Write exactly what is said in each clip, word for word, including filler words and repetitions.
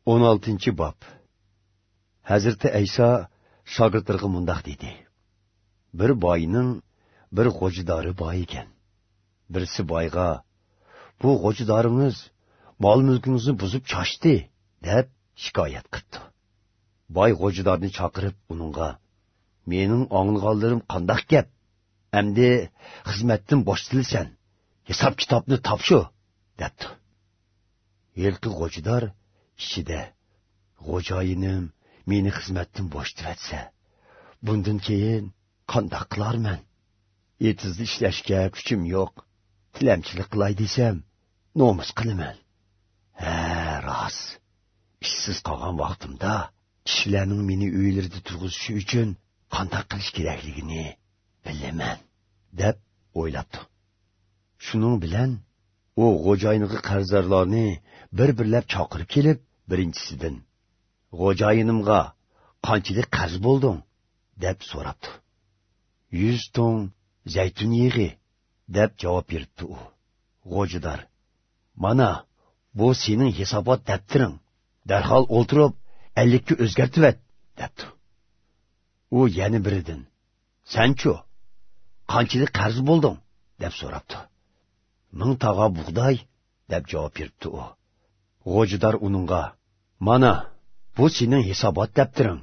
ئون ئالتىنچى باب. ھەزرىتى ئەيسا شاگىرتلىرىغا مۇنداق دېدى: بىر باينىڭ بىر غوجىدارى بار ئىكەن. بىرسى بايغا: «بۇ غوجىدارىڭىز مال-مۈلكىڭىزنى بۇزۇپ چاچتى» دەپ شىكايەت قىپتۇ. باي غوجىدارنى چاقىرىپ، ئۇنىڭغا: «مېنىڭ ئاڭلىغانلىرىم قانداق گەپ؟ ئەمدى خىزمەتتىن بوشىتىلىسەن، ھېساب-كىتابنى تاپشۇر» دەپتۇ. ھېلىقى غوجىدار ئىچىدە: «خوجايىنىم مېنى خىزمەتتىن بوشىتىۋەتسە، بۇندىن كېيىن قانداق قىلارمەن؟ ئېتىزدا ئىشلەشكە كۈچۈم يوق، تىلەمچىلىك قىلاي دېسەم، نومۇس قىلىمەن. ھە، راست، ئىشسىز قالغان ۋاقتىمدا كىشىلەرنىڭ مېنى ئۆيلىرىدە تۇرغۇزۇشى ئۈچۈن قانداق قىلىش كېرەكلىكىنى بىلىمەن» دەپ ئويلاپتۇ. شۇنىڭ بىلەن ئۇ خوجايىنىغا قەرزدارلارنى بىر-بىرلەپ چاقىرىپ كېلىپ، بىرىنچىسىدىن: «خوجايىنىمغا قانچىلىك قەرز بولدۇڭ؟» دەپ سوراپتۇ. «يۈز تۇڭ زەيتۇن يېغى» دەپ جاۋاب بېرىپتۇ ئۇ. غوجىدار: «مانا، بۇ سېنىڭ ھېسابات دەپتىرىڭ، دەرھال ئولتۇرۇپ ئەللىككە ئۆزگەرتىۋەت» دەپتۇ. ئۇ يەنە بىرىدىن: «سەنچۇ، قانچىلىك قەرز بولدۇڭ؟» دەپ سوراپتۇ. «مىڭ تاغا بۇغداي» دەپ جاۋاب بېرىپتۇ ئۇ. غوجىدار ئۇنىڭغا: «مانا، بۇ سېنىڭ ھېسابات دەپتىرىڭ،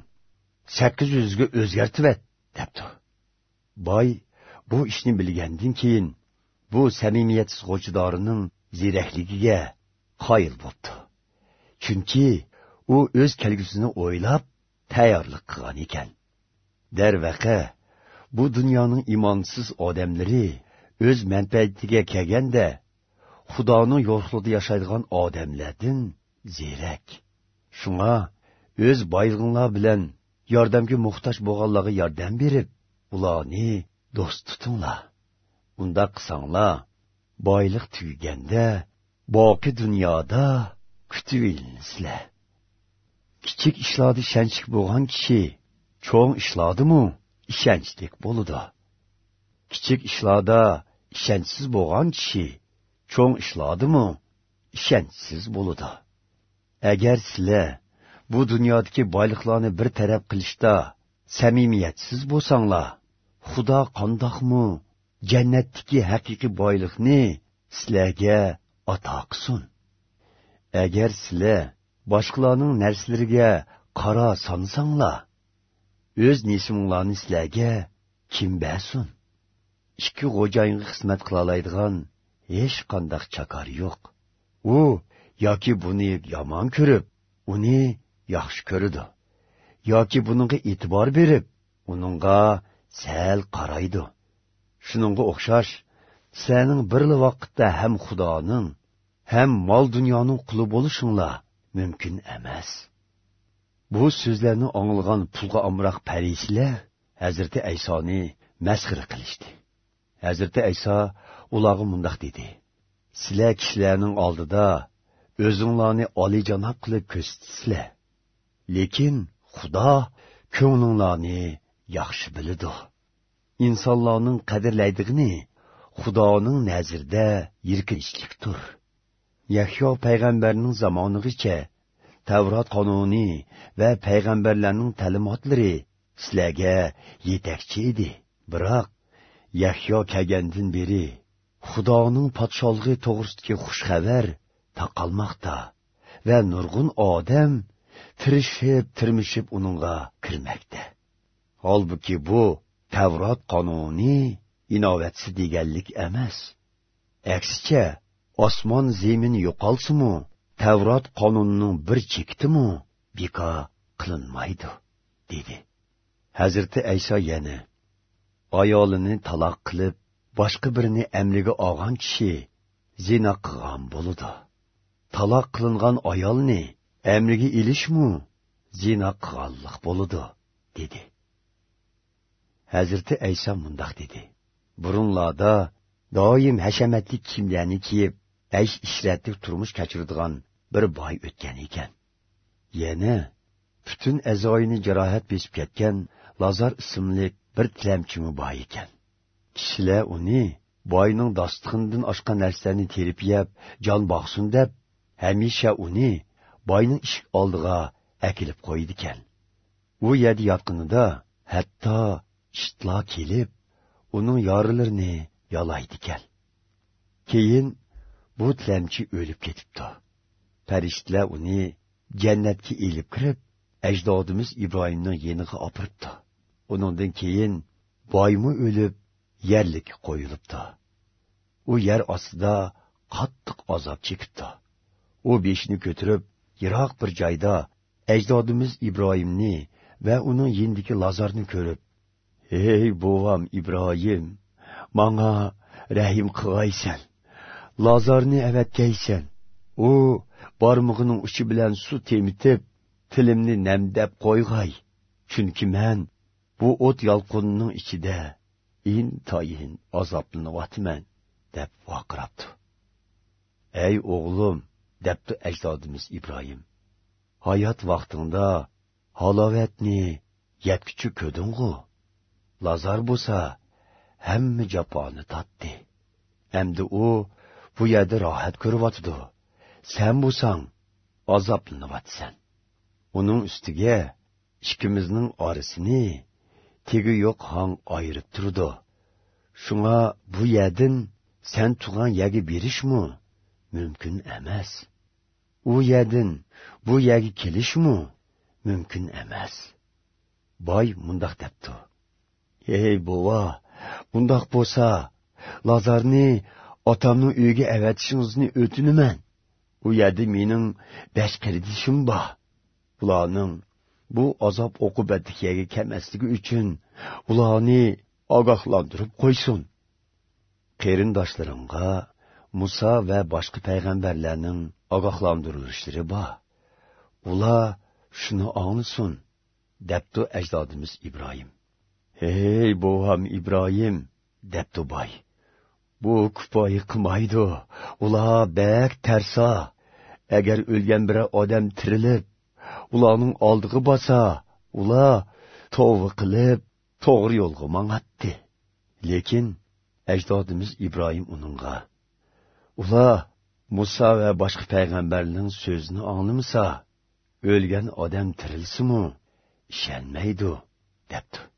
سەككىز يۈزگە ئۆزگەرتىۋەت» دەپتۇ. باي بۇ ئىشنى بىلگەندىن كېيىن، بۇ سەمىمىيەتسىز غوجىدارىنىڭ زېرەكلىكىگە قايىل بوپتۇ. چۈنكى ئۇ ئۆز كەلگۈسىنى ئويلاپ تەييارلىق قىلغان ئىكەن. دەرۋەقە، بۇ دۇنيانىڭ ئىمانسىز ئادەملىرى ئۆز مەنپەئەتىگە كەلگەندە، خۇدانىڭ يورۇقلۇقىدا ياشايدىغان ئادەملەردىن زېرەك. شۇڭا ئۆز بايلىقىڭلار بىلەن ياردەمگە موھتاج بولغانلارغا ياردەم بېرىپ، ئۇلارنى دوست تۇتۇڭلار. ئۇنداق قىلساڭلار، بايلىق تۈگىگەندە باقىي دۇنيادا كۈتۈۋېلىنىسىلەر. كىچىك ئىشلاردا ئىشەنچلىك بولغان كىشى چوڭ ئىشلاردىمۇ ئىشەنچلىك بولىدۇ. كىچىك ئىشلاردا ئىشەنچسىز بولغان كىشى چوڭ ئىشلاردىمۇ ئىشەنچسىز بولىدۇ. ئەگەر سىلەر بۇ دۇنيادىكى بايلىقلارنى بىر تەرەپ قىلىشتا سەمىمىيەتسىز بولساڭلار، خۇدا قانداقمۇ جەننەتتىكى ھەقىقىي بايلىقنى سىلەرگە ئاتا قىلسۇن؟ ئەگەر سىلەر باشقىلارنىڭ نەرسىلىرىگە قارا سانىساڭلار، ئۆز نېسىۋىڭلارنى سىلەرگە كىم بەرسۇن؟ ئىككى خوجايىنغا خىزمەت قىلالايدىغان ھېچقانداق چاكار يوق. ئۇ ياكى بۇنى يامان كۆرۈپ، ئۇنى ياخشى كۆرىدۇ، ياكى بۇنىڭغا ئېتىبار بېرىپ، ئۇنىڭغا سەل قارايدۇ. شۇنىڭغا ئوخشاش، سىلەرنىڭ بىرلا ۋاقىتتا ھەم خۇدانىڭ، ھەم مال-دۇنيانىڭ قۇلى بولۇشۇڭلار مۇمكىن ئەمەس. بۇ سۆزلەرنى ئاڭلىغان پۇلغا ئامراق پەرىسىيلەر ھەزرىتى ئەيسانى مەسخىرە قىلىشتى. ھەزرىتى ئەيسا ئۇلارغا مۇنداق دېدى: سىلەر كىشىلەرنىڭ ئالدىدا ئۆزۈڭلارنى ئالىيجاناب قىلىپ كۆرسىتىسىلەر. لېكىن خۇدا كۆڭلۈڭلارنى ياخشى بىلىدۇ. ئىنسانلارنىڭ قەدىرلەيدىغىنى خۇدانىڭ نەزىرىدە يىركىنچلىكتۇر. يەھيا پەيغەمبەرنىڭ زامانىغىچە تەۋرات قانۇنى ۋە پەيغەمبەرلەرنىڭ تەلىماتلىرى سىلەرگە يېتەكچى ئىدى. بىراق يەھيا كەلگەندىن بېرى خۇدانىڭ پادىشاھلىقى توغرىسىدىكى خۇش خەۋەر تارقالماقتا ۋە نۇرغۇن ئادەم تىرىشىپ-تىرمىشىپ ئۇنىڭغا كىرمەكتە. ھالبۇكى، بۇ تەۋرات قانۇنى ئىناۋەتسىز دېگەنلىك ئەمەس. ئەكسىچە، ئاسمان زېمىن يوقالسىمۇ، تەۋرات قانۇنىنىڭ بىر چېكىتىمۇ بىكار قىلىنمايدۇ، دېدى. ھەزرىتى ئەيسا يەنە: ئايالىنى تالاق قىلىپ، باشقا بىرىنى ئەمرىگە ئالغان كىشى زىنا قىلغان بولىدۇ. تالاق قىلىنغان ئايالنى ئەمرىگە ئېلىشمۇ زىنا قىلغانلىق بولىدۇ، دېدى. ھەزرىتى ئەيسا مۇنداق دېدى: بۇرۇنلاردا دائىم ھەشەمەتلىك كىيىملەرنى كىيىپ، ئەيش-ئىشرەتلىك تۇرمۇش كەچۈرىدىغان بىر باي ئۆتكەن ئىكەن. يەنە پۈتۈن ئەزايىنى جاراھەت بېسىپ كەتكەن لازار ئىسىملىك بىر تىلەمچىمۇ بار ئىكەن. كىشىلەر ئۇنى باينىڭ داستىخىنىدىن ئاشقان نەرسىلەرنى تېرىپ يەپ، جان باقسۇن دەپ، ھەمىشە ئۇنى باينىڭ ئىشىك ئالدىغا ئەكېلىپ قويىدىكەن. ئۇ يەردە ياتقىنىدا ھەتتا ئىتلار كېلىپ، ئۇنىڭ يارىلىرىنى يالايدىكەن. كېيىن بۇ تىلەمچى ئۆلۈپ كېتىپتۇ. پەرىشتىلەر ئۇنى جەننەتكە ئېلىپ كىرىپ، ئەجدادىمىز ئىبراھىمنىڭ يېنىغا ئاپىرىپتۇ. ئۇنىڭدىن كېيىن بايمۇ ئۆلۈپ، يەرلىككە قويۇلۇپتۇ. ئۇ يەر ئاستىدا قاتتىق ئازاب چېكىپتۇ. ئۇ بېشىنى كۆتۈرۈپ، يىراق بىر جايدا ئەجدادىمىز ئىبراھىمنى ۋە ئۇنىڭ يېنىدىكى لازارنى كۆرۈپ، «ھەي، بوۋام ئىبراھىم، ماڭا رەھىم قىلغايسەن. لازارنى ئەۋەتكەيسەن. ئۇ بارمىقىنىڭ ئۇچى بىلەن سۇ تېمىتىپ، تىلىمنى نەمدەپ قويغاي. چۈنكى مەن بۇ ئوت يالقۇنىنىڭ ئىچىدە ئىنتايىن ئازابلىنىۋاتىمەن» دەپ ۋارقىراپتۇ. «ئەي ئوغلۇم»، دەپتۇ ئەجدادىمىز ئىبراھىم، «ھايات ۋاقتىڭدا ھالاۋەتنى يەتكۈچە كۆردۈڭغۇ؟ لازار بولسا ھەممە جاپانى تارتتى. ئەمدى ئۇ بۇ يەردە راھەت كۆرۈۋاتىدۇ. سەن بولساڭ ئازابلىنىۋاتىسەن. ئۇنىڭ ئۈستىگە ئىككىمىزنىڭ ئارىسىنى تېگى يوق ھاڭ ئايرىپ تۇرىدۇ. شۇڭا بۇ يەردىن سەن تۇرغان يەرگە بېرىشمۇ مۇمكىن ئەمەس. ئۇ يەردىن بۇ يەرگە كېلىشمۇ مۇمكىن ئەمەس.» باي مۇنداق دەپتۇ: «ھەي بوۋا، ئۇنداق بولسا، لازارنى ئاتامنىڭ ئۆيىگە ئەۋەتىشىڭىزنى ئۆتۈنىمەن. ئۇ يەردە مېنىڭ بەش قېرىندىشىم بار. ئۇلارنىڭ بۇ ئازاب ئوقۇبەتلىك يەرگە كەلمەسلىكى ئۈچۈن ئۇلارنى ئاگاھلاندۇرۇپ قويسۇن. قېرىنداشلىرىڭغا مۇسا ۋە باشقا پەيغەمبەرلەرنىڭ ئاگاھلاندۇرۇلۇشلىرى بار. ئۇلار شۇنى ئاڭلىسۇن»، دەپتۇ ئەجدادىمىز ئىبراھىم. «ھەي بوۋام ئىبراھىم»، دەپتۇ باي، «بۇ كۇپايە قىلمايدۇ. ئۇلار بەك تەرسا. ئەگەر ئۆلگەن بىرەر ئادەم تىرىلىپ، ئۇلارنىڭ ئالدىغا بارسا، ئۇلار توۋا قىلىپ، توغرا يولغا ماڭاتتى.» لېكىن ئەجدادىمىز ئىبراھىم ئۇنىڭغا: «ئۇلار مۇسا ۋە باشقا پەيغەمبەرنىڭ سۆزىنى ئاڭلىمىسا، ئۆلگەن ئادەم تىرىلسىمۇ ئىشەنمەيدۇ» دەپتۇ.